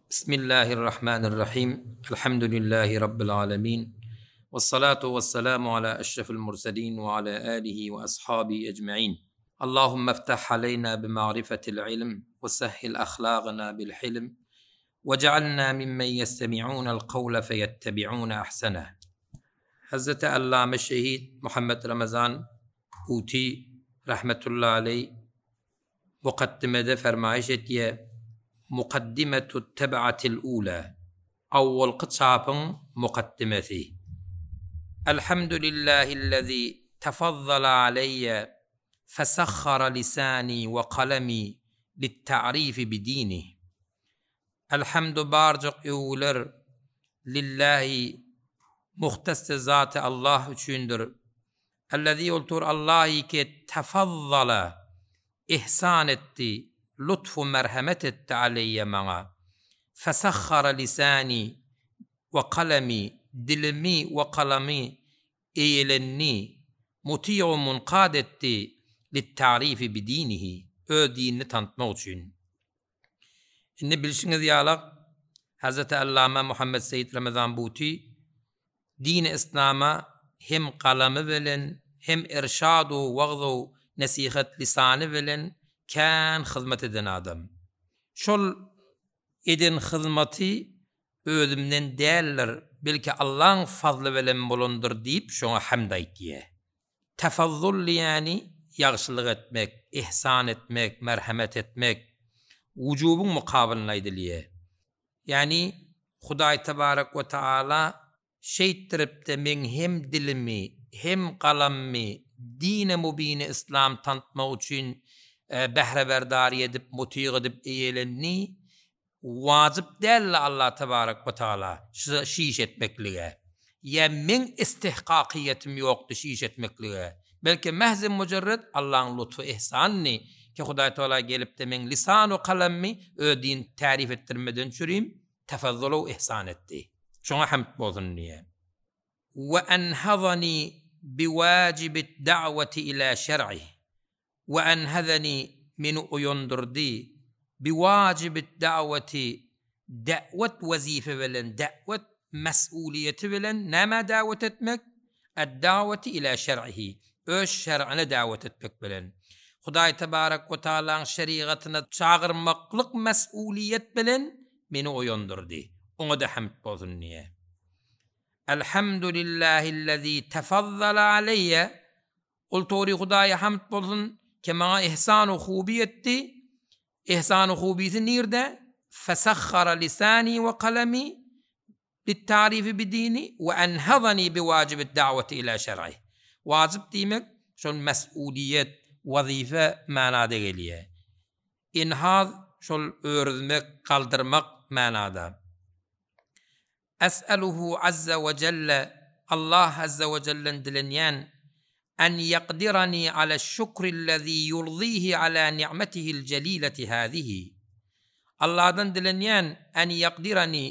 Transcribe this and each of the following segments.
Bismillahirrahmanirrahim. Elhamdülillahi Rabbil alemin. Vessalatu vesselamu ala eşrefil murselin ve ala alihi ve ashabi ecmain. Allahümme iftah aleyna bimarifetil ilm ve sehhil ahlagına bil hilm ve cealna mimmen yestemi'unel kavle feyettebi'une ahseneh. Hazreti Allame Şehit Muhammed Ramazan Huti rahmetullahi aleyh Mukaddimede fermaýyş etýär, Mukaddimetut teb'atil ula, Awwalky çapyň mukaddimesi. Elhamdülillahillezî tefazzala aleýýe fesahhara lisani we kalemi lit'ta'rifi bidinih. Elhamdu barjak öwgüler Lillahi muhtasy zaty Allah üçindir. Ellezî oltur Allahy ki tefazzala ihsan etdi, lutfu merhemet etdi aleýýe maňa. Fesahhara lisani we kalemi dilimi we kalamy eýelendi, muti'u munkad etdi lit-ta'rifi bidinihi öz dinini tanytmak üçin. Indi bilşiňiz ýalak, Hazreti Allama Muhammet Seýit Ramazan Buty dini yslama hem galamy bilen, hem irşad-u wagz-u nesihat lisany bilen kän hyzmat eden adam. Şol eden hyzmaty özümden däldir, belki Allaň fazly bilen bolandyr diýip şoňa hamd aýtýar. Tafazzul diýýäni ýagşylyk etmek, ihsan etmek, merhemet etmek, wujubyň mukabylynda aýdylýar. Ýagny Hudaý tebarek we taala şeýtdirip-de meň hem dilimi, hem galamymy dine mubini yslam tanytmak üçin bähreberdar edip, mutyg edip eýelendi, Wajyp däldi Allah tebarek we taala şu iş etmeklige. Ýa meň istihkakyýetim ýokdy şu iş etmeklige. Belki mähzi mujerret Allaň lutfy ihsanyny ki Hudaý tagala gelipde meň lisanu kalammy öz din tärif etdirmeden çürim tefazzulu ihsan etdi. Şoňa hamd bolsun diýe. We enhazani biwajibit da'wati ila şer'ih. We enhezeni meni oýandyrdy, biwajibit da'weti da'wet wezife bilen, da'wet mes'uliýeti bilen nämä da'wet etmek? Ed-da'weti ila şer'ihi, öz şer'ine da'wet etmek bilen. Hudaý tebarek we taalaň şerigatyna çagyrmaklyk mes'uliýet bilen meni oýandyrdy. Oňa-da hamd bolsun diýýär. Elhamdulillahillezî tefazzala aleýýe Ol tory Hudaýa hamd bolsun, ki maňa ihsan-u hubi etdi. Ihsan-u hubisi nirde? Fesahhara lisani we kalemi lit-tarifi bidini we enhazani biwajibid da'wati ila şer'ih. Wajyp diýmek, şol mes'uliýet, wazife manada gelýär. Inhaz şol örüzmek, galdyrmak manada. Es'eluhu azza we jelle, Allah azza we jellen dilenýän, en ýekdirani aleş-şükrillezî ýurzihi alâ ni'metihil jelileti hâzihi. Allahdan dilenýän, en ýekdirani,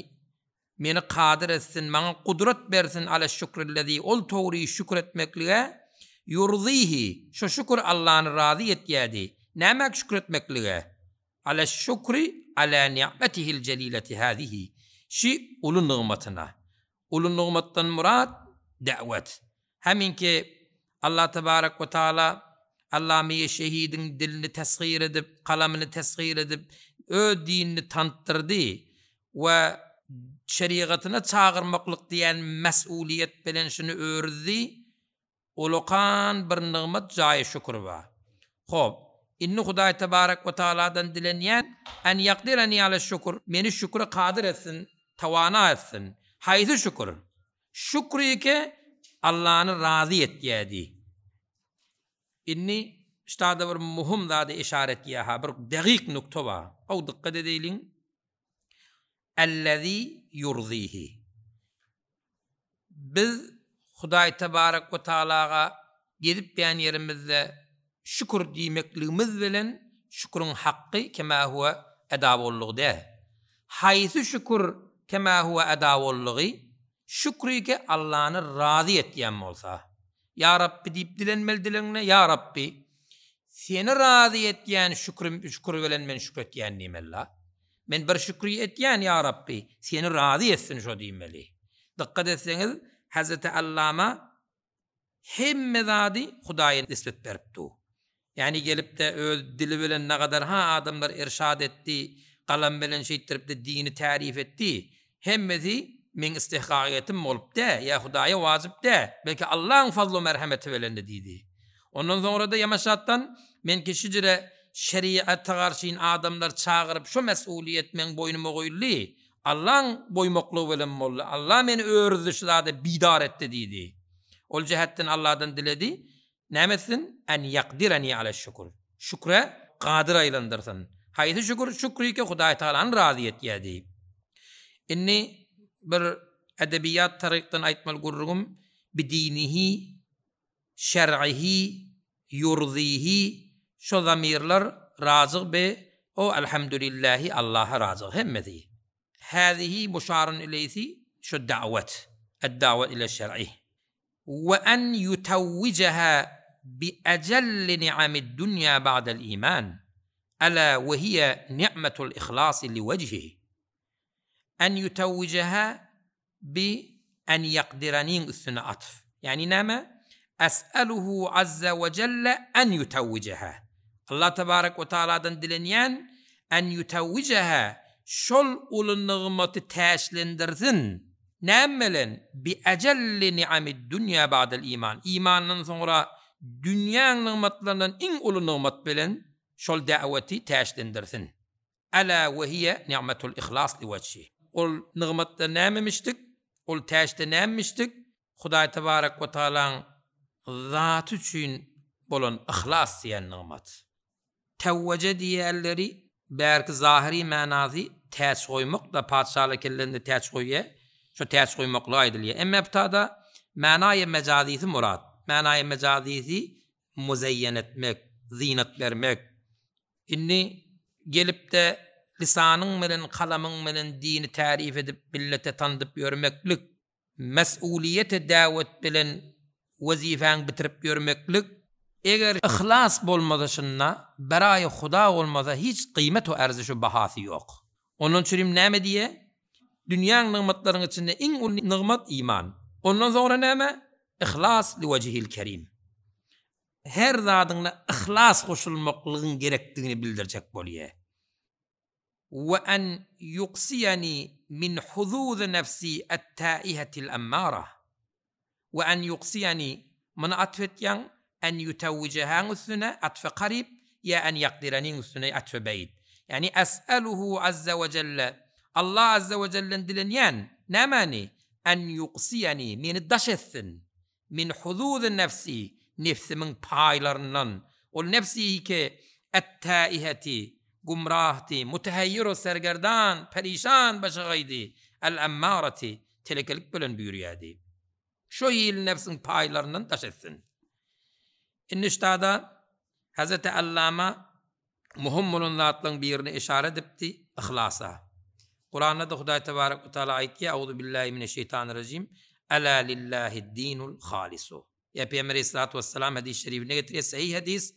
meni kadyr etsin, maňa gudrat bersin aleş-şükrillezî, ol togry şükür etmeklige, ýurzihi, şo şükür Allany razy etýädi. Nämäk şükür etmeklige? Aleş-şükri alâ ni'metihil jelileti hâzihi, şi uly nygmatyna. Uly nygmatdan myrat, da'wet. Heminki Allah tebarek we taala Allamiýe şehidiň dilini teshyr edip, galamyny teshyr edip, öz dinini tanytdyrdy we şerigatyna çagyrmaklyk diýen mes'uliýet bilen şuny örüzdi, Ulakan bir nygmat jaýy şükür bar. Hop, indi Hudaý tebarek we taaladan dilenýän, En ýakdireni ale şükür, meni şükre kadyr etsin, tawana etsin. Haýsy şükür? Şükrike Allany razy etýädi. Indi ştada bir muhum zada işaret etýär-ha, bir dagyk nukta bar. Gowy dykgat edeýliň. Ellezî ýurzihi. Biz Hudaý tebarek we taalaga gezip ýän ýerimizde şükür diýmekligimiz bilen şüküriň hakky kema huwe eda boldugy däl. Haýsy şükür kema huwe eda boldugy? Şükrike Allany razy etýän bolsa. Ýa Rabbi diýip dilenmeli dilegiňde, Ýa Rabbi, Seni razy etýän şükrim, şükür bilen men şükür etýän diýmeli-la. Men bir şükri etýän, ýa Rabbi, seni razy etsin şo diýmeli. Dykgat etseňiz, Hezreti Allama hemme zady Hudaýa nisbet berip dur. Ýagny gelip-de öz dili bilen nagadar-ha adamlar irşad etdi, galam bilen şeýtdirip-de dini tärif etdi, hemmesi meň istihkagyýetim bolup dä, ýa Hudaýa wajyp dä, belki Allaň fazlu merhemeti bilendi diýdi. Ondan soňra-da ýamaşatdan men ki şijire şeriata garşyn adamlar çagyryp şo mes'uliýet meň boýnuma goýuldy, Allaň goýmaklygy bilen boldy, Alla meni örüzdi şu zada bidar etdi diýdi. Ol jähetden Alladan diledi, Näme etsin? En ýakdireni aleş-şükür. Şükre kadyr aýlandyrsyn. Haýsy şükür? Şükrike Hudaý Tagalany razy etýär diýip. Indi bir edebiýat tarykdan aýtmaly gürrüňim bidinihi, şer'ihi, ýurzihi şo zamirler razyg bi o elhamdülillahi Allaha razyg hemmesi. Häzihi muşarun ileýsi şo da'wet. Ed-da'wet ile şer'ih. We en ýutawwijeha bi ejelli ni'amid dunýa ba'del iman, ela we hiýe ni'metul ihlasi li wejhihi. En ýutawwijeha bi en ýakdiraniň üstüne atf. Ýagny näme? Es'eluhu azza we jelle en ýutawwijeha. Allah tebarek we taaladan dilenýän en ýutawwijeha şol uly nygmaty täçlendirsin Näme bilen? Bi ejelli ni'amid dünýä ba'del iman. Imandan soňra dünýäň nygmatlaryndan iň uly nygmat bilen şol da'weti täçlendirsin. Ela we hiýe ni'metul ihlas li wejhi. Ol nygmatda nämemişdik? Ol täçde nämemişdik? Hudaý tebarek we taalaň zaty üçin bolan yhlas diýen nygmat. Täwweje diýýärleri, bärki zahyry manasy täç goýmak-da, patyşalar kellerinde täç goýýar, şo täç goýmaklyga aýdylýar. Emma bu tada manaýy mejazysy murat. Manaýy mejazysy muzeýýen etmek, zynat bermek. Indi gelip-de lisanyň bilen, kalamyň bilen dini tärif edip, millete tandyp ýörmeklik, Mes'uliýete däwet bilen wezipäňi bitirip ýörmeklik, eger yhlas bolmasa şunda, beraýy Huda bolmasa hiç gyýmet-u erzişu bahasy ýok. Ondan çürim näme diýe? Dünýäň nygmatlaryň içinde iň uly nygmat iman. Ondan soňra näme? Yhlas liwejihil kerim. Her zadyňda yhlas goşulmaklygyň gerekdigini bildirjek bolýa. We en ýuksiýeni min huzuzy nefsi et-täihetil emmara. We en ýuksiýeni, muny atf etýäň, en ýutewwijehaň üstüne, atfe karyp, ýa en ýakdireniň üstüne, atfe beýid. Ýagny es'eluhu azze we jelle, Allah azze we jellen dilenýän, nämäni? En ýuksiýeni, meni daş etsin, Min huzuzy nefsi, nebsimiň paýlaryndan, ol nebsihi ki, et-täiheti, gumrahdy, muteheýýiru sergerdan, perişan, başagaýdy, el-emmarati, telekelik bilen buýurýardy. Şo hili nebsiň paýlaryndan daş etsin. Indi ştada Hezreti Allama Möhüm bolan zatlaryň birine yşara edipdi, yhlasa. Kuranda-da Hudaý tebarek we taala aýtýar, Auzubillahi mineşşeýtanirrajim, Ela lillahid-dinul halisu. Ýa Pygamber aleyhissalatu wessalam hadys şerifinde getirýär, sahyh hadys,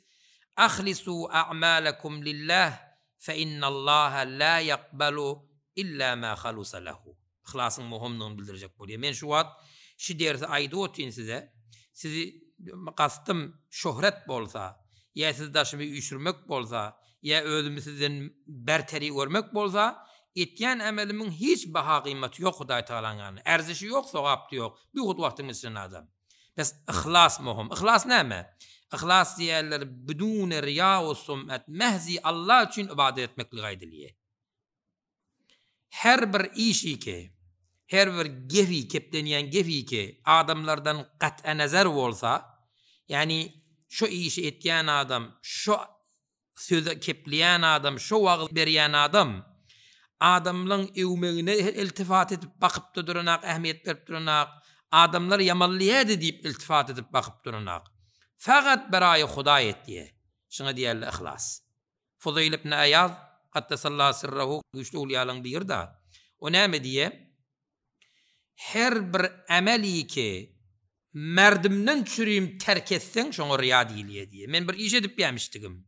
Ahlisu a'malakum lillah fe innallaha la yakbalu illa ma halusa lehu. Yhlasyň möhümdigini bildirjek bolýar. Men şu wagt şu dersi aýdyp otyryn size. Sizi gastym şöhret bolsa, ýa sizi daşyma üýşürmek bolsa, ýa özümi sizden berteri görmek bolsa, etýän emelimiň hiç baha-gymmaty ýok Hudaý Tagalaň ýanynda. Erzişi ýok, sogap-da ýok. Bihut wagtyň geçiren adam. Bes yhlas möhüm. Yhlas näme? Yhlas diýýärler biduni riýa we sum'at, mähzi Allah üçin ybadat etmeklige aýdylýar. Her bir işi-ki, her bir gepi, keplenýän gepi-ki adamlardan gat'y-nazar bolsa, ýagny şo işi etýän adam, şo sözi kepleýän adam, şo wagyz berýän adam adamlaň öwmegine iltifat edip bakyp-da duranak, ähmiýet berip duranak, adamlar ýamanlaýardy diýip iltifat edip bakyp duranak. Fakat beraýy Hudaý etýär. Şuňa diýerler yhlas. Fuzeýl ibn Aýaz, Gaddesallahu sirrehu, güýçli öwlüýalaryň biri-da. O näme diýýär? Her bir emeli ki, merdimden çürim terk etseň, şoňa ryýa diýilýär diýýär. Men bir iş edip ýamişdigim.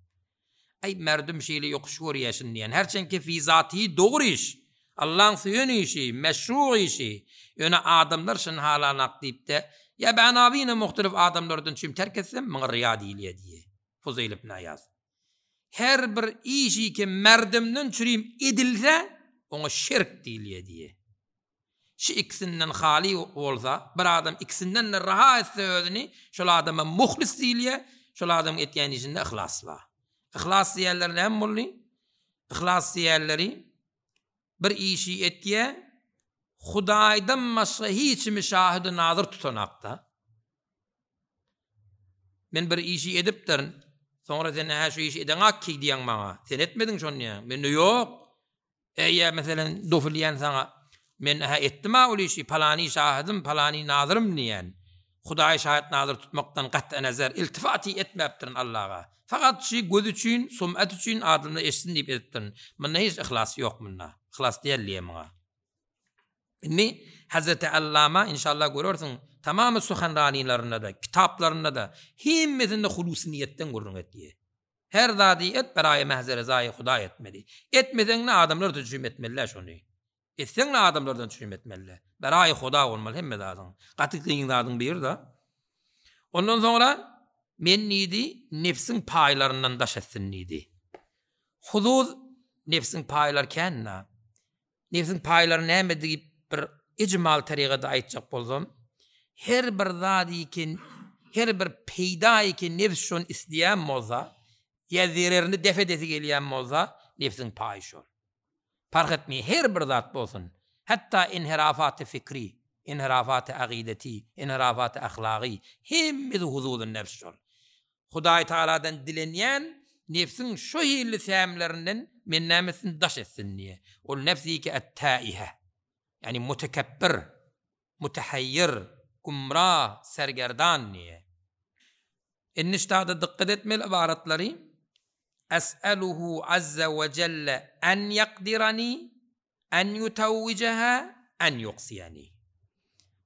Aý, merdüm şeýle ýokuş görýä şuny diýen. Herçenki fi zatihi dogry iş. Allaň söýen işi, meşru işi. Ýöne adamlar şuny halanak diýip-de, ýa bänabine muhtelif adamlardan çüm terk etsem, muňa ryýa diýilýä diýýä. Fuzeýl ibn Aýaz. Her bir işi ki merdümden çürim edilse, oňa şirk diýilýä diýýä. Şu ikisinden haly bolsa, bir adam ikisinden-de raha etse özüni, şol adama muhlis diýilýär, şol adamyň etýän işinde yhlas bar. Yhlas diýýänleri näme boldy? Yhlas diýýänleri bir işi etýär, Hudaýdan başga hiç kimi şahydy nazyr tutanakda. Men bir işi edipdirin, soňra sen hä şu işi edeňak ki diýýäň maňa. Sen etmediň şony diýýäň. Mende ýok. Eý, meselem, dofil diýen saňa, Men-hä etdim-ä ol işi, palany şahydym, palany nazyrym diýen. Hudaýy şahyt-nazyr tutmakdan gat'y-nezer, iltifaty etmäpdirin Allaga. Fakat şy göz üçin, sum'at üçin, adamlar eşitsin diýip edipdirin. Munda hiç yhlas ýok munda. Yhlas däl diýýär muňa. Indi Hazreti Allama, inşallah görersiň, tamamy suhanranilerinde-de, kitaplarynda-da, hemmesinde hulusy niýetden gürrüň etýär. Her zady et beraýy mähze rezaýy Hudaý etmeli. Etmeseň-de adamlar tüçüm etmeli-dä şony. Etseň-de adamlardan tüçüm etmeli-dä. Beraýy Huda bolmaly hemme zadyň. Gaty kyn zadyň biri-de. Ondan soňra men diýdi, nebsiň paýlaryndan daş etsin diýdi. Huzuz nebsiň paýlary kän-dä. Nebsiň paýlary näme diýip bir ijmal tarygada aýtjak bolsam, her bir zady ki, her bir peýdaýy ki nebs şony isleýän bolsa, ýa zererini def edesi gelýän bolsa, nebsiň paýy şol. Parh etmeýär, her bir zat bolsun, hatda inhirafaty fikri, inhirafaty agideti, inhirafaty ahlagy, hemmesi huzuzy nebs şol. Hudaý Tagaladan dilenýän, nebsiň şo hilli sämlerinden meni näme etsin, daş etsin diýýär. Ol nebsiki et-täihe, ýagny mutekebbir, mutehaýýir, gümra, sergerdan diýýär. Indi ştada dykgat etmeli ybaratlary, Es'eluhu azza we jelle en ýakdirani En ýutawwijeha en ýuksiyani.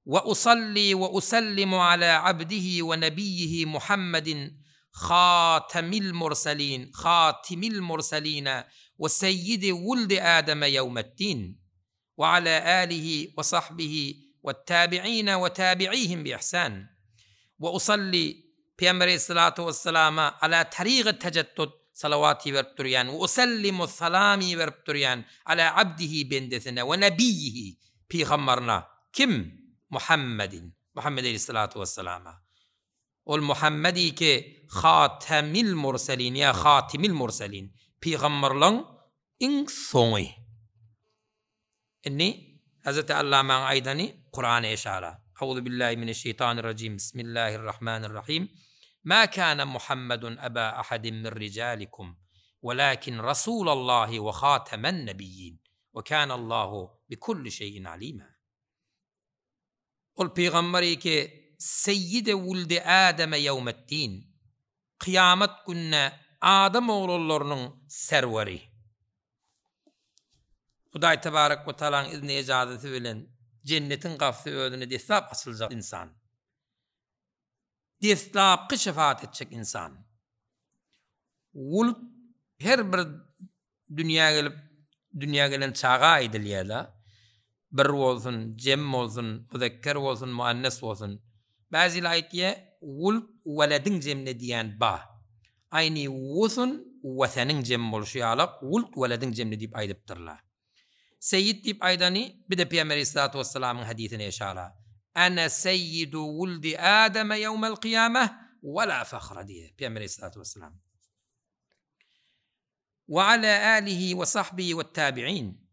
We usalli we usellimu ala abdihi we nebiyyihi Muhammedin hatemil murselin hatimil murseline we seyyidi wuldi Ademe ýewmeddin we ala alihi we sahbihi wettabi'ine we tabi'ihim bi ihsan. We usalli Pygamber aleyhissalatu wesselama ala tarygy tejeddud salawat iberip durýan we usellimu salam iberip durýan ala abdihi bendesine we nebiyyihi pygambaryna kim Muhammedin Muhammed aleyhissalatu wesselama ol Muhammedi ki hatemil murselin ýa hatimil murselin pygamberleň iň soňy. Indi Hazreti Allamaň aýdany Kurana eşara. Auzu billahi mineşşeýtanirrajim Bismillahirrahmanirrahim Ma kana Muhammedun aba ahadin min rijalikum welakin Rasulallahi we hatemen nebiyyin we kanallahu bi kulli şeýin alima. Ol pygamber ki Seýýide wuldi Ademe ýewmeddin, kyýamat gününe adam oglanlarynyň serweri. Hudaý tebarek we taalaň izni ejazasy bilen jennetiň gapysy özüne deslap açyljak ynsan. Deslapky şefaat etjek ynsan. Wulud her bir dünýä gelip, dünýä gelen çaga aýdylýar-da. Bir bolsun, jem bolsun, muzekker bolsun, muannes bolsun. Bäziler aýtýar, wulud welediň jemine diýen ba. Aýny wusun weseniň jemi bolşy ýalak, wulud welediň jemine diýip aýdypdyrlar. Seýýid diýip aýdany, bir-de Pygamber aleyhissalatu wessalamyň hadysine yşara, Ene seýýidu wuldi Ademe ýewmel kyýameh we la fahra diýýär Pygamber aleyhissalatu wessalam. We ala alihi we sahbihi we tabi'in.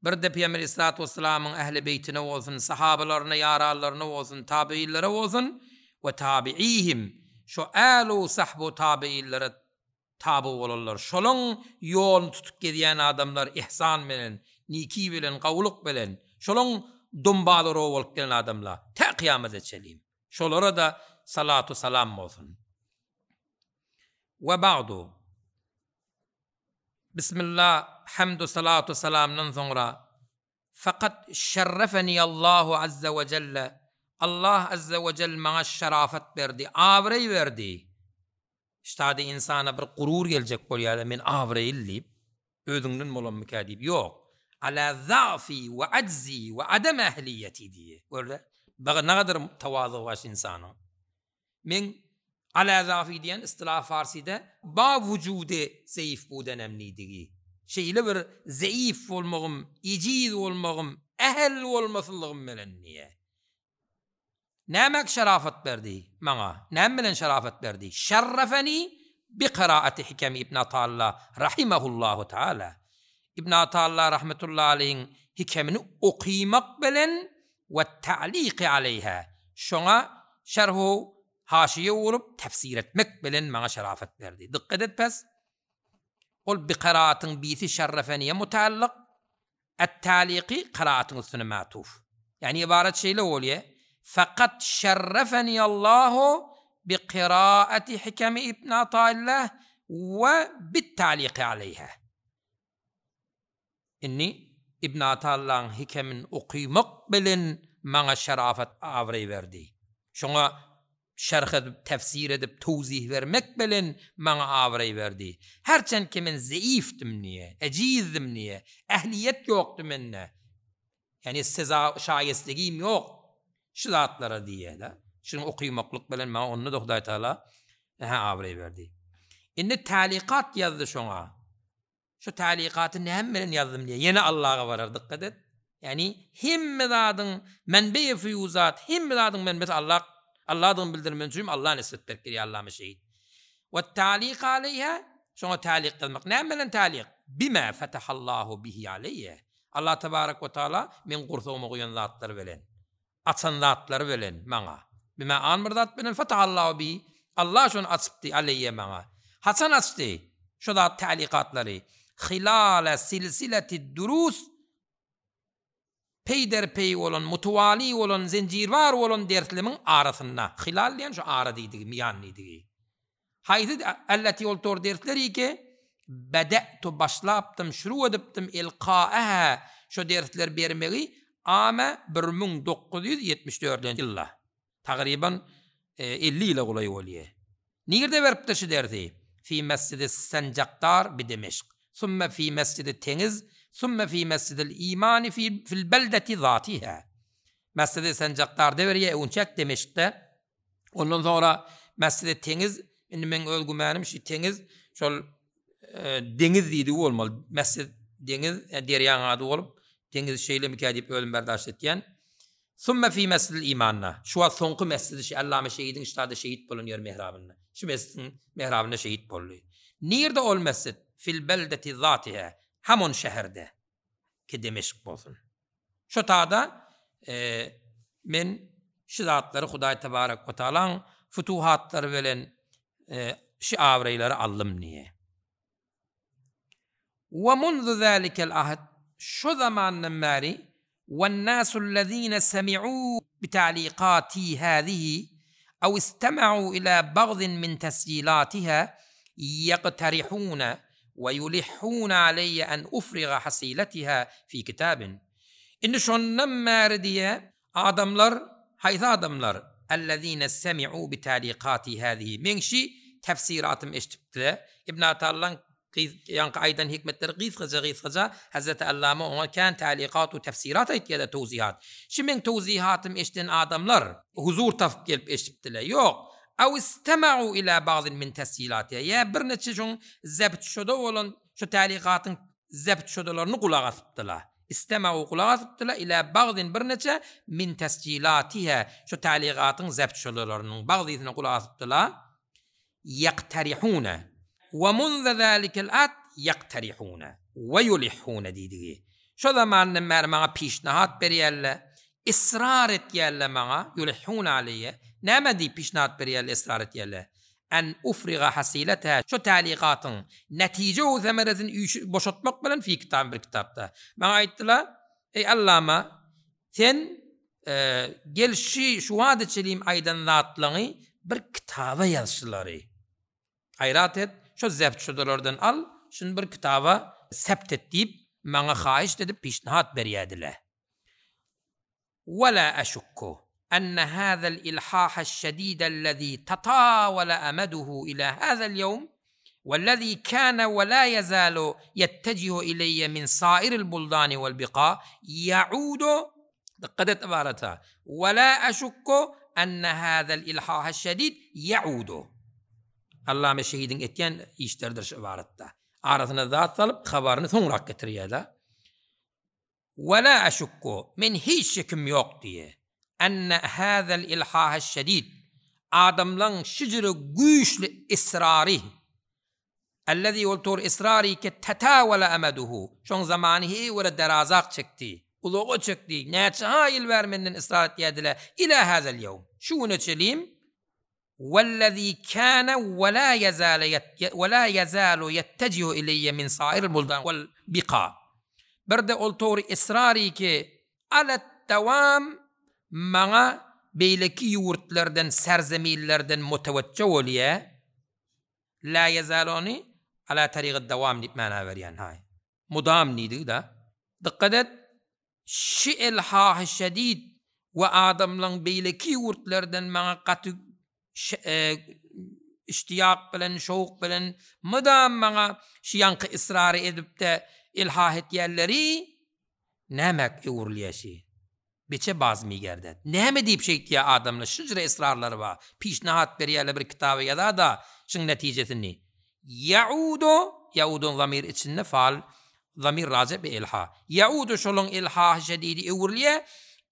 Bir-de Pygamber aleyhissalatu wessalamyň ähli beýtine bolsun, sahabalaryna, ýaranlaryna bolsun, tabiinlere bolsun we tabi'ihim, şo älu sahbu tabiinlere Taby bolanlar, şolaň ýoluny tutup gezýän adamlar ihsan bilen, niki bilen, gowulyk bilen, şolaň dumbalaro bolup gelen adamlar, tä kyýamata çenli. Şolara-da salatu salam bolsun. We bagdu. Bismillah, hamdu salatu salamdan soňra, Fakat şerrefeni Allahu azza we jelle, Allah azza we jell maňa şerafat berdi, abraý berdi. Ştada ynsana bir gurur geljek bolýar-da, men abraýly diýip, özüňden bolanmyka diýip, ýok. Ala za'fi we ajzi we adam ehliýeti diýýär. Gör-de, nagadyr tawazugy bar şu ynsanyň. Meň ala za'fi diýen istilah farsyda ba wujude zeýif budenem diýdigi. Şeýle bir zeýif bolmagym, ejiz bolmagym, ähl bolmasyzlygym bilen diýýär. Nämäk şerafat berdi maňa? Näme bilen şerafat berdi? Şerrefeni bi kiraati hikemi Ibn Atalla rahimehullahu taala. Ibn Atalla rahmetullahi aleýhiň hikemini okymak bilen we ta'liqi aleýha şoňa şerhu haşiýe urup tefsir etmek bilen maňa şerafat berdi. Dykgat et pes. Ol bi kiraatyň bisi şerrefeniye mutaallyk, Et-Taliky kyraatyň üstüne matuf. Ýagny ybarat şeýle bolýar, Fakat şerrefeniyallahu bi kyraati hikemi Ibn Ataillah we bit-taliky aleýha. Indi Ibn Atallahyň hikemini okymak bilen maňa şerafat abraý berdi. Şoňa Şerh edip, tefsir edip, towzih bermek bilen maňa abraý berdi. Herçend ki men zeifdim diýe, ejizdim diýe, ähliýet ýokdy mende. Ýagny seza şaýestegim ýok şu zatlara diýe-de. Şuny okymaklyk bilen maňa onda-da Hudaý Tagala hä abraý berdi. Indi tälikat ýazdy şoňa. Şu talykaty näme bilen ýazdym diýýär. Ýene Allaga barar dykgat et. Ýagny hemme zadyň menbeýi fuýuzat, hemme zadyň menbesi Allah, Allahdygyny bildirmek üçin Allaha nisbet berip gelýär Allama şehit. We talyk aleýha, şoňa talyk ýazmak. Näme bilen talyk? Bima fatahallahu bihi aleýe. Allah tebarek we taala meň gursagyma guýan zatlary bilen. Açan zatlary bilen maňa. Bimä an bir zat bilen fatahallahu bihi, Allah şony açypdy, aleýýe maňa. Haçan açdy şo zat täliqatlary? Hilale silsileti durus, peýder-peý bolan, mutewali bolan, zenjirbar bolan derslemiň arasynda. Hilal diýen şu ara diýdigi, miýan diýdigi. Haýsy elleti ol tor dersleri ki, bede'tu başlapdym, şuru edipdim, ilka'eha şo dersleri bermegi ame 1974 nji ýylda. Tagryban 50 ýyla golaý bolýar. Nirde beripdir şu dersi? Fi mesjidi Senjakdar bi Demeşk, summe fi mesjidi Teňiz, summe fi mesjidil Imani fi fil beldeti zatiha. Mesjidi Senjakdarda berýär, öňçäk Demeşkde. Ondan soňra Mesjidi Teňiz, indi meň öz gümänim şu Teňiz şol deňiz diýdigi bolmaly. Mesjid deňiz, derýaň ady bolup, deňiz şeýlemikä diýip özüm berdaşt etýän. Summe fi mesjidil imanda. Şu wagt soňky mesjidi şu Allama şehidiň ştada şehit bolan ýeri mehrabynda. Şu mesjidiň mehrabynda şehit boldy. Nirde ol mesjid? Fil beldeti zatiha. Hamon şäherde. Ki Demeşk bolsun. Şo tada men şu zatlary Hudaý tebarek we taalaň futuhatlary bilen şu abraýlary aldym diýýär. We munzu zalikel ahd şo zamandan bäri Wennasullezine semi'u bita'likati hazihi aw istema'u ila bagdin min tesjilatiha ýekterihune we ýulihhune aleýe en ufriga hasiletiha fi kitabin. Indi şondan bäri diýýär, adamlar, haýsy adamlar? Ellezine semi'u bita'likati hazihi, meň şi tefsiratymy eşidipdiler. Ibn Atallaň ýaňky aýdan hikmetleri gysgaja-gysgaja, Hezreti Allama oňa kän tälikat we tefsirat aýtýar-da, towzihat. Şi meň towzihatymy eşiden adamlar, huzur tapyp gelip eşidipdiler. Ýok. Aw istema'u ila bagdin min tesjilatiha, ýa birniçe şoň zebt şoda bolan şo tälikatyň zebt şodalaryny gulak asypdylar. Istema'u gulak asypdylar, ila bagdin birniçe min tesjilatiha, şo tälikatyň zebt şodalarynyň bagdysyna gulak asypdylar. Ýekterihune, we munze zälikel ahd ýekterihune, we ýulihhune diýdigi. Şo zamandan bäri maňa pişnahat berýärler, israr etýärler maňa, ýulihhune aleýe, näme diýip pişnahat berýärler, israr etýärler? En ufriga hasileteha, şo täligatyň netije we semeresini üýşü boşatmak bilen fi kitabyn bir kitapda. Maňa aýtdylar, Eý Allama, sen gel şi şu wada çelim aýdan zatlaňy bir kitaba ýaz şulary. Gaýrat et, şo zebt şudalardan al, şuny bir kitaba sebt et diýip, maňa haýyşt edip pişnihat berýädiler. Wela eşukku. Enne hâzel ilhâheş-şedîdellezî tatâvele emeduhu ilâ hâzel ýewm wellezî kâne we lâ ýezâlu ýettecihu ileyye min sâiril buldâni vel bikâ ýe'udu, dykgat et ybarata, we lâ eşukku enne hâzel ilhâheş-şedîd ýe'udu. Allame şehidiň etýän işleridir şu ybaratda. Arasyna zat salyp habaryny soňrak getirýär-de. We la eşukku, men hiç şekim ýok diýe, enne hazel ilhaheş-şedid, adamlaň şijre güýçli israry, ellezî ol tor israry ki tetawele emeduhu, şoň zamany heýwere derazak çekdi, uzaga çekdi, näçe-ha ýyl bäri menden israr etýärdiler, ila hazel ýewm, şu güne çelim, Wellezî kâne we lâ ýezâle we lâ ýezâlu ýettejihu ileýýe min sâiril buldan wel bika. Bir-de ol togry israry ki, alet-dewam maňa beýleki ýurtlardan, serzeminlerden mutewejje bolýa, lâ ýezâlu ony alâ tarygid-dewam diýip mana berýän, haý. Mudam diýdigi-da. Dykgat et, Şi elhahy şedid we adamlaň beýleki ýurtlardan maňa gaty iştiýak bilen, şowk bilen mydam maňa şi ýaňky israry edip-de elhah etýänleri nämäk öwrülýä şi? Beçe bazmy gerdet. Näme diýip şeýtýä adamlar şujra israrlary bar. Pişnahat berýärler bir kitaby ýazada şyň netijesini. Ýaudu, ýauduň zamir içinde faal zamir raje bi elha. Ýaudu şolaň elhahy şedidi öwrülýä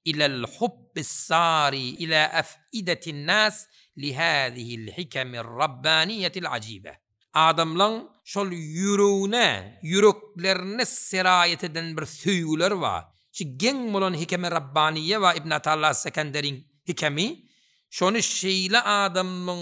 ilel hubbis sari ila af'idetin nas li hazihil hikemir rabbaniýetil ajibe. Adamlaň şol ýüregine, ýüreklerine seraýet eden bir söýgüleri bar. Şu geň bolan hikemi Rabbaniýe bar Ibn Atalla Sekenderiň hikemi. Şony şeýle adamlaň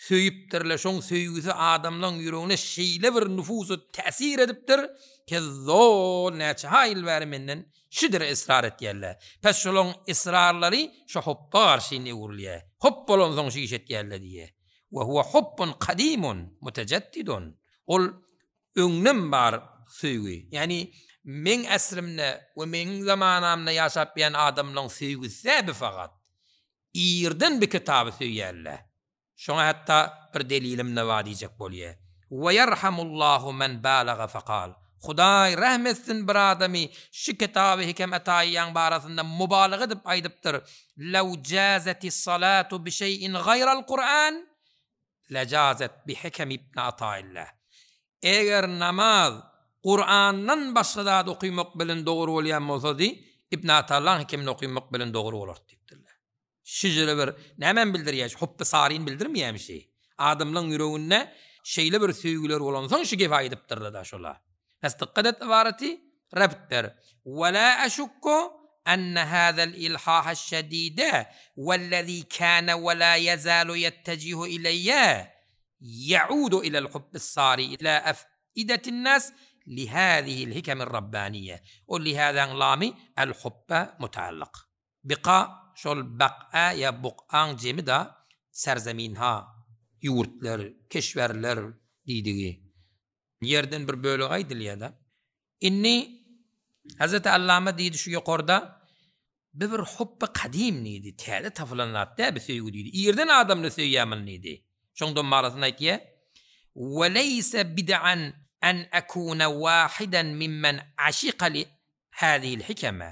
söýüpdirler, şoň söýgüsi adamlaň ýüregine şeýle bir nufuz täsir edipdir, ke zol näçe ha ýyl bäri menden şidire ysrar etýärler. Pes şolaň ysrarlary şo hopba garşy indi öwrülýär. Hop bolansoň şu iş etýärler diýýär. We huwa hubbun kadimun mutejeddidun. Ol öňden bar söýgi. Ýagny meň äsrimde we meň zamanamda ýaşap ýan adamlaň söýgüsi däl bu fakat. Irden bi kitaby söýýärler. Şoňa hatda bir delilim-de bar diýjek bolýar. We ýerhamullahu men balaga fekal. Hudaý rähm etsin bir adamy şu kitaby Hikem Ataýyýaň barasynda mubalaga edip aýdypdyr, Lew jazetis salatu bi şeýin gaýral Kuran, lejazet bi Hikem ibn Ataillah. Eger namaz Kurandan başga zat okymak bilen dogry bolýan bolsady, Ibn Atallaň Hikemini okymak bilen dogry bolardy diýipdirler. Şeýle bir nämäni bildirýär? Şu hupby saryny bildirmeýärmi şi? Adamlaň ýüreginde şeýle bir söýgüler bolansoň şu gepi aýdypdyrlar-da şola. Pes dykgat et ybaraty rebt ber. Ve la eşukku enne hazel ilhaheş şedide vellezî kâne ve lâ yezalu yettecihu ileyye ye'udu ilel hubbis sâri ilâ ef'idetin nas lihâzihil hikemir rabbâniyye. O lihâzäň lamy el hubba mutaallyk. Bika şol bak'a ýa buk'aň jemi-da serzeminha, ýurtlar, keşwerler diýdigi. Ýerden bir bölegi aýdylýar-da. Indi Hezreti Allama diýdi şu ýokarda, Bi bir hupby kadym diýdi, täze tapylan zat däl bi söýgi diýdi. Irden adamlar söýýär muny diýdi. Şoň domarasyny aýtýar, Ve leýse bid'an an ekune wahidan mimmen aşika li hazihil hikeme.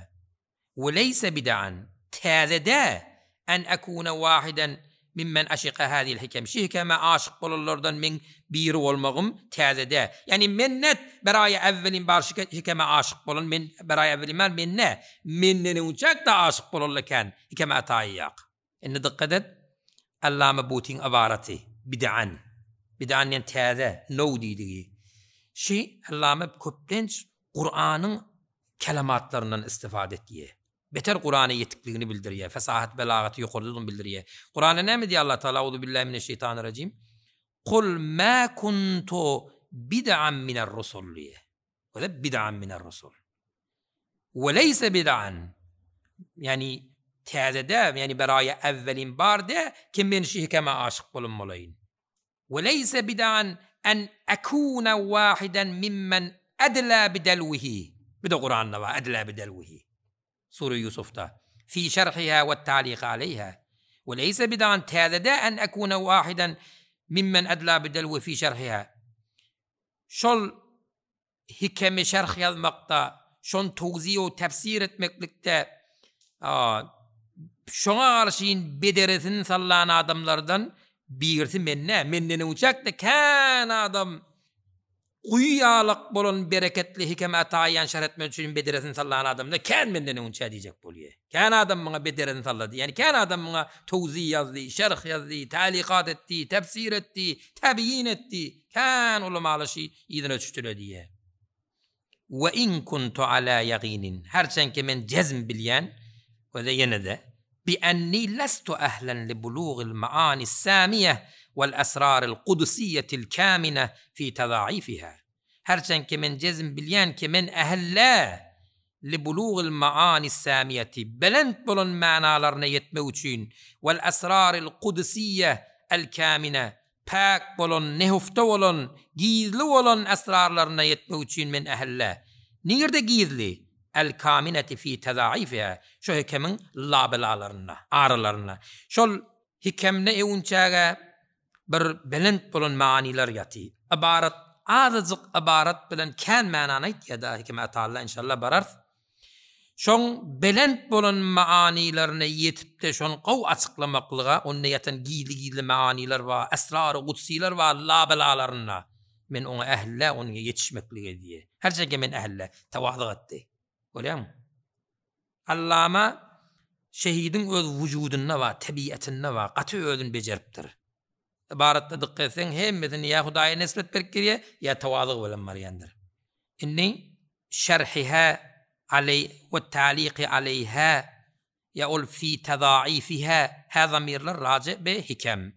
We leýse bid'an, täze dä, en ekune wahiden mimmen aşika hazihil hikem, şi hikeme aşyk bolanlardan meň biri bolmagym täze dä. Ýagny men net beraýa äwwelin bar şi hikeme aşyk bolan men beraýa äwwelin bar men nä, menden öňçäk-de aşyk bolanlar kän hikeme ataýýak. Indi dykgat et, Allama Butyň ybaraty, bid'an. Bid'an diýen täze, now diýdigi. Şi Allama köplenç Kuranyň kelematlaryndan istifade etýär. Beter Kurana ýetikligini bildirýär, fesahat belagaty ýokardadygyny bildirýär. Kuranda näme diýýär Allah Taala, Auzubillahi mineşşeýtanirrajim. Kul ma kuntu bid'an miner rusul diýýär. Wele bid'an miner rusul. We leýse bid'an. Ýagny täze däl, ýagny beraýa äwwelin bar dä, kim men şu hikeme aşyk bolan bolaýyn. We leýse bid'an en ekune wahiden mimmen edla bidelwihi. Bu-da Kuranda bar, edla bidelwihi. Sure Ýusufda. Fi şerhiha we ta'liqi aleýha. We leýse bid'an täze dä en ekune wahidan mimmen edla bidelwi fi şerhiha. Şol hikemi şerh ýazmakda, şony towziý-u tefsir etmeklikde şoňa garşyn bederesini sallan adamlardan birisi men dä. Menden öňçäk-de kän adam guýy ýalak bolan bereketli hikeme taýýan şerh etmek üçin bederesini sallan adamlar kän menden öňçä diýjek bolýar. Kän adam muňa bederesini sallady. Ýagny kän adam muňa towziý ýazdy, şerh ýazdy, tälikat etdi, tefsir etdi, tebýin etdi. Kän ulamalar şy yzyna düşdüler diýýär. We in kuntu ala ýaginin, herçenki men jezm bilýän, we-de ýene-de, bi enni lestu ehlen li bulugil maanis samiýeh wal esraril kudusiýetil kämine fi tezaifiha. Herçenki men jezm bilýän ki men ehil däl li bulugil maanis samiýeti, belent bolan manalaryna ýetmek üçin, wal esraril kudusiýeh el kämine, Päk bolan, nehufta bolan, gizli bolan esrarlaryna ýetmek üçin men ähille. Nirde gizli? El-kamineti fi tezaifiha, şo hikemiň labelalarynda, aralarynda. Şol hikemde öwünçäge bir belent bolan manylar ýaty. Ybarat, azajyk ybarat bilen kän manany aýtýa-da Hikeme Atalla, inşallah bararys. Şoň belent bolan manylaryna ýetip-de şony gowy açyklamaklyga, onda ýatan gizli-gizli manylar bar, esrary gudsylar bar labelalarynda. Men oňa ähli-dä, onuňa ýetişmeklige diýýär. Her çenki men ähli-dä. Tawazyk etdi. Görýäňmi? Allama şehidiň öz wujudynda bar, tebiatynda bar, gaty özüni bejeripdir. Ybaratda dykgat etseň, hemmesini ýa Hudaýa nisbet berip girýär, ýa tawazyg bilen barýandyr. Indi şerhiha aleý we ta'liqi aleýha ýa ol fi tezaifiha hä zamirler raje be hikem.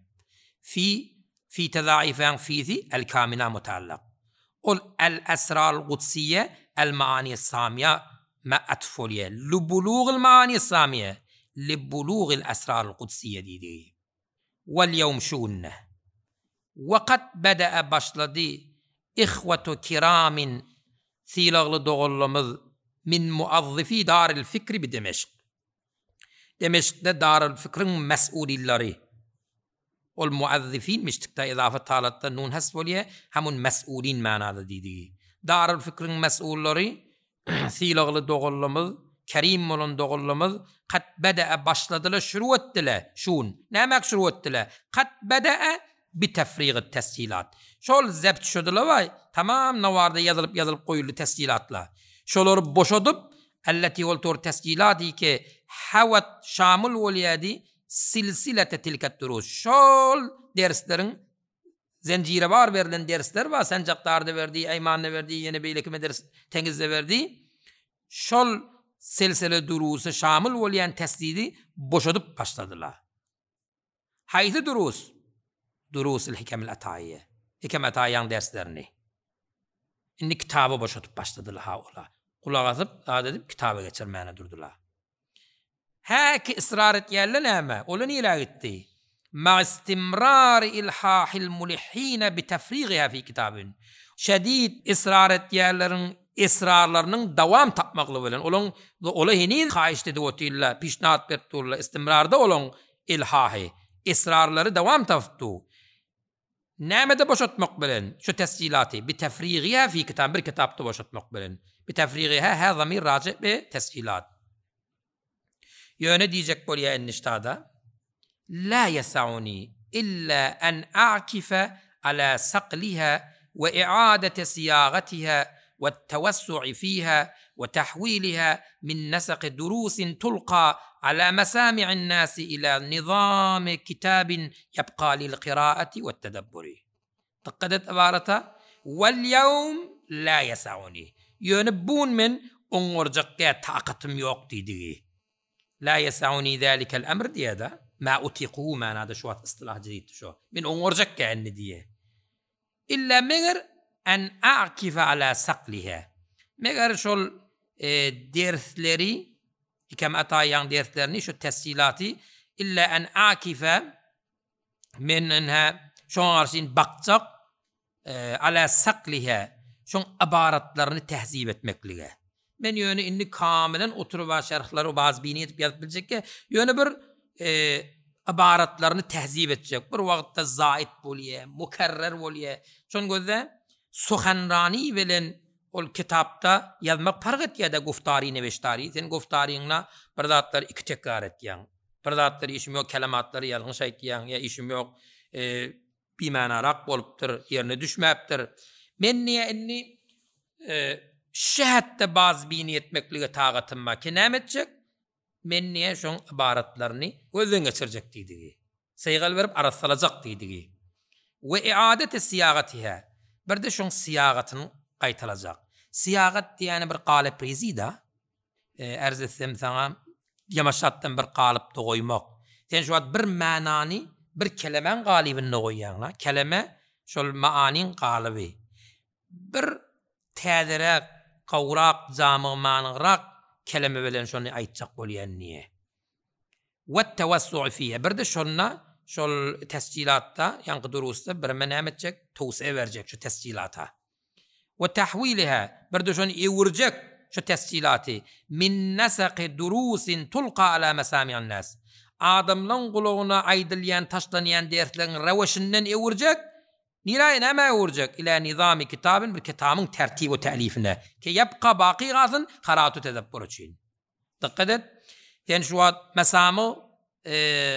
Fi fi tezaifihaň fisi el kamina mutallak. Ol el esrarul gudsiýe el maani samiýa me atf bolýar. Lubulugil maani samiýe libulugil esrarul gudsiýe diýdigi. Wal ýewm şu günde. Wekat bede'e başlady ihwetu kiramin sylagly doganlarymyz min muazzifi daril fikri bi Demeşk. Demeşkde daril fikriň mes'ulillary. Ol muazzifinmiş tikda izafet halatda nun hasf bolýar, hamun mes'ulin manada diýdigi. Daril fikriň mes'ullary Sylagly doganlarymyz, kerim bolan doganlarymyz kat bede'e başladylar, şuru etdiler, şun. Nämäk şuru etdiler? Kat bede'e bi tefrigit tesjilat. Şol zebt şudylar waý, tamam nawarda ýazylyp-ýazylyp goýuldy tesjilatlar. Şolary boşadyp, elleti ol tor tesjilati ki hawat şamyl bolýady silsilete tilket durus. Şol dersleriň Zenjire bar berlen dersler bar, Sanjakdarda berdi, Eýmanda berdi, ýene beýleki medres Teňizde berdi. Şol selsele durusa şamyl bolýan tesdidi boşadyp başladylar. Haýsy durus? Durusul Hikemil Ataýyýe. Hikem Ataýyň derslerini. Indi kitaba boşadyp başladylar ha ola. Gulak asyp, zat edip kitaba geçirmäne durdular. Häki ysrar etýänler näme? Olar nirä gitdi? Ma'a istimrari ilhahil mulihhine bi tefrigiha fi kitabin. Şedid ysrar etýänleriň israrlarynyň dowam tapmaklygy bilen, olaň olar heniz haýyşt edip otyrlar, pişnahat berip durlar, istimrarda olaň ilhahy, israrlary dowam tapyp dur. Nämede boşatmak bilen, şu tesjilaty, bi tefrigiha fi kitab, bir kitapda boşatmak bilen. Bi tefrigiha hä zamir raji bi tesjilat. Ýöne diýjek bolýa indi ştada, La ýesauni illa an a'kife ala sakliha we i'adete siýagatiha we tewessu'i fiha we tahwiliha min nesaki durusin tulka ala mesami'in nasi ila nizami kitabin ýebka lil kiraati we tedebburi. Dykgat et ybarata, Wal ýewm la ýesauni. Ýöne bu gün men oňarjak däl, takatym ýok diýdigi. La ýesauni zälikel emr diýýär-de, ma utikuhu manada şu wagt ystylah jeditdi şo. Men oňarjak däl indi diýýär. Illa meger en a'kife ala sakliha. Meger şol dersleri, Hikem Ataýyň derslerini, şu tesjilaty illa en a'kife men ynha şoňa garşy bakjak ala sakliha şoň ybaratlaryny tehzip etmeklige. Men ýöne indi kamilen oturyba şerhlary bazbini edip ýazyp biljekge, ýöne bir ybaratlaryny tehzip etjek. Bir wagtda zaid bolýa, mukerrer bolýa. Şony gözle, suhanrani bilen ol kitapda ýazmak parh etýä-de guftary neweştary. Sen guftaryňda bir zatlary iki tekrar etýäň. Bir zatlary işim ýok kelematlary ýalňyş aýtýaň ýa işim ýok bimanarak bolupdyr, ýerine düşmäpdir. Men diýýär indi şu hätde bazbini etmeklige tagatym bar ki näme etjek? Men diýýär şoň ybaratlaryny gözden geçirjek diýdigi. Sygal berip arassalajak diýdigi. We i'adeti syýagatiha. Bir-de şoň syýagatyny gaýtalajak. Syýagat diýýäni bir galyp rizi-da. Ärz etsem saňa, ýamaşatdan bir galypda goýmak. Sen şu wagt bir manany bir kelemäň galybynda goýýaň-la. Keleme şol maanyň galyby. Bir täzeräk, gowrak, jamyg-manyrak keleme bilen şony aýtjak bolýan diýe. Wet-tewessu'u fiha. Bir-de şonda, şol tesjilatda, ýaňky durusda bireme näme etjek? Towsiýe berjek şu tesjilata. We tahwiliha, bir-de şony öwürjek şu tesjilaty, min nasaki durusin tulka ala mesami'in nas. Adamlaň gulagyna aýdylýan, taşlanýan dersleriň reweşinden öwürjek, nirä, nämä öwürjek? Ila nizami kitabin, bir kitabyn tertib we tälifine, ki ýebka, baky galsyn, karatu tedebbur üçin. Dykgat et, sen şu wagt mesamyg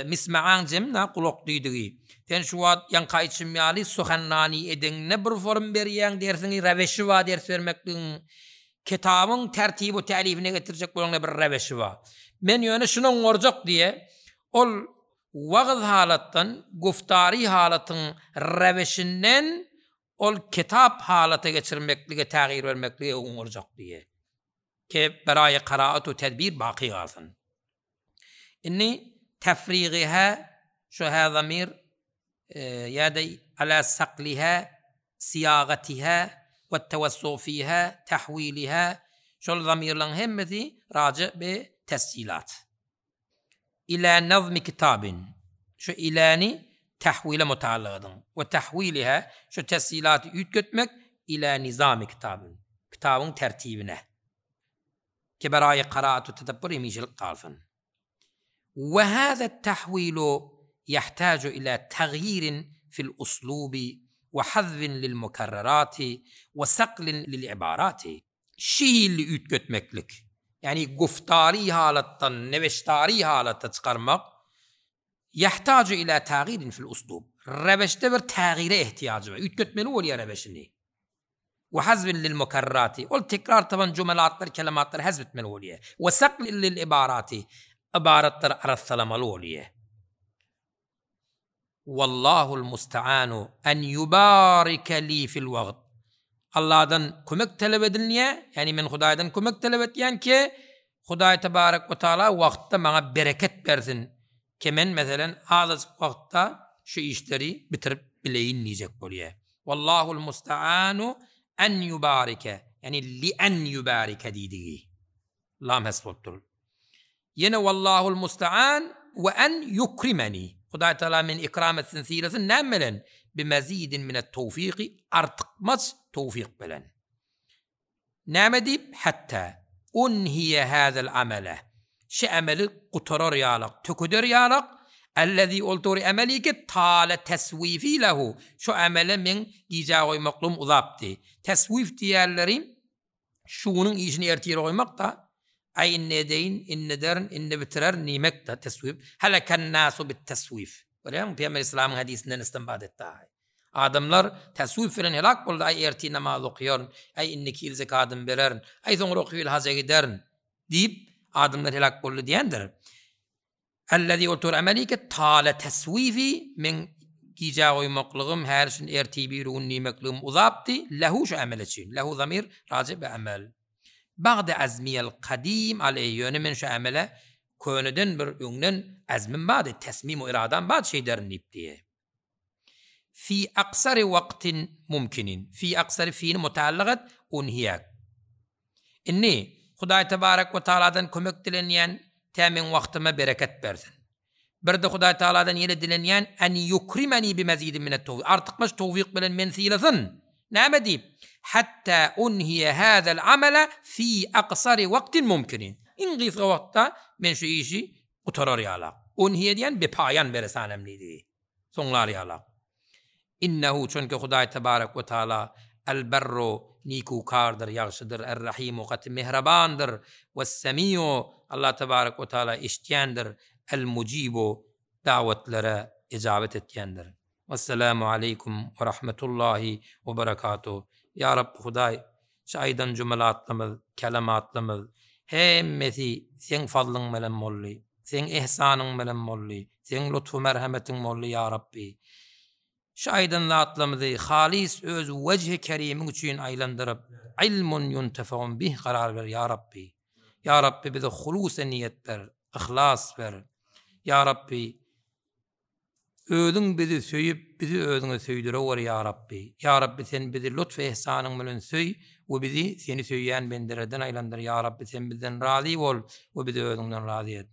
mismaaň jemna gulak diýdigi. Sen şu wagt ýaňky aýtşym ýaly suhannani edeňde bir form berýäň dersiňi reweşi bar ders bermekligiň. Kitabyň tertibi tälifine getirjek bolaňda bir reweşi bar. Men ýöne şuny oňarjak diýe, ol wagyz halatdan guftary halatyň reweşinden ol kitap halata geçirmeklige tägyr bermeklige oňarjak diýe. Ke beraýy karaat we tedbir baky galsyn. Indi tefrigiha şu hä zamir ýa-da ala sakliha syýagatiha we tewessu fiha tahwiliha şol zamirleriň hemmesi raji bi tesjilat. Ila nazmi kitabin şu iläni tahwile mutaallyk ediň we tahwiliha şu tesjilaty üýtgetmek ila nizami kitabin kitabyň tertibine ki beraýy karaat we tedebbur hemişelik galsyn. We haza tahwilu ýahtaju ila tagýirin fil uslubi we hazwin lil mukarrarati we saklin lil ibarati. Şu hilli üýtgetmeklik, ýagny guftary halatdan neweştary halata çykarmak, ýahtaju ila tagýirin fil uslub, reweşde bir tägyre ehtiýajy bar, üýtgetmeli bolýar reweşini. We hazwin lil mukarrarati, ol tekrar tapan jumelatlary, kelematlary hazw etmeli bolýar. We saklin lil ibarati, ybaratlary arassalamaly bolýar. Wallahul musta'anu en yubarike li fil wagt. Allahdan kömek talap edilýär, ýagny men Hudaýdan kömek talap etýän ki, Hudaý tebarek we taala wagtda maňa bereket bersin, ki men meselen azajyk wagtda şu işleri bitirip bileýin diýjek bolýar. Wallahul musta'anu en yubarike, ýagny li en yubarike diýdigi. Lam hes bolup dur. Ýene Wallahul musta'an we en ýukrimeni. Hudaý Tagala meni ikram etsin, sylasyn näme bilen? Bi mezidin minet towfiki, artykmaç towfyk bilen. Näme diýip? Hatta unhiýe hazel amele. Şu emeli gutarar ýalak, tökeder ýalak, ellezî ol dogry emeli ki tale teswifi lehu. Şu emele meň gijä goýmaklygym uzapdy. Teswif diýýärleri Şu günüň işini ertire goýmak-da, Aý, indi edeýin, indi ederin, indi bitirerin diýmek-de, teswif. Heleken-nasu bit-teswif. Görýäňmi, Pygamber Yslamyň hadysyndan istinbat etdi aý. Adamlar teswif bilen helak boldy, aý, ertir namaz okaýaryn, aý, indiki ýyl zekadymy bererin, aý, soňraky ýyl haja giderin diýip, adamlar helak boldy diýendir. Ellezî otur emelike tale teswifi, meň gijä goýmaklygym, häli şindi ertir birigün diýmekligim uzapdy, lehu şu emel üçin, lehu zamir raji bi emel. Bagde azmiyel kadim aleýhi, ýöne men şu emele köneden bir öňden azmym bardy, tesmim we iradam bardy şeýderin diýipdi. Fi aksary wagtin mumkinin, fi aksary fini mutaallyk et, unhiýek. Indi, Hudaý tebarek we taaladan kömek dilenýän, tä meň wagtyma bereket bersin. Bir-de Hudaý taaladan ýene dilenýän, en ýukrimeni bi mezidin minet towfik, artykmaç towfyk bilen meni sylasyn. Näme diýip? Hatta unhiýe hazel amele fi aksari wagtin mumkinin. Iň gysga wagtda men şu işi gutarar ýalak. Unhiýe diýen bepaýan beresanem diýdigi. Soňlar ýalak. Innehu çünki Hudaý tebarek we taala El-Berru nikukardyr, ýagşydyr, Er-Rahimu gaty mähribandyr, Wes-Semiu Allah tebarek we taala eşitýändir, El-Mujibu dawetlara ejabet etýändir. Wessalamu aleýkum we rahmetullahi we berekatuh. Ýa Rabbi Hudaý şu aýdan jümlatlarymyz, kelematlarymyz hemmesi Seň fazlyň bilen boldy, Seň ihsanyň bilen boldy, Seň lutfu merhemetiň boldy Ýa Rabbi. Şu aýdan zatlarymyzy halys öz wejhi kerimiň üçin aýlandyryp, ilmun ýuntefeun bih karar ber Ýa Rabbi. Ýa Rabbi bize hulus-e niýet ber, yhlas ber. Ýa Rabbi Özüň bizi söýüp, bizi özüňe söýdüreweri ýa Rabbi. Ýa Rabbi sen bizi lutf-u ihsanyň bilen söý we bizi seni söýýän bendelerden aýlandyr ýa Rabbi sen bizden razy bol we bizi özüňden razy et.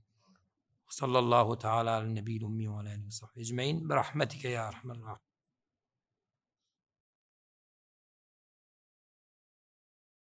Sallallahu taala ala nebiýil ummi we ala alihi we sahbihi ejmain bi rahmetike ýa erhamer rahimin.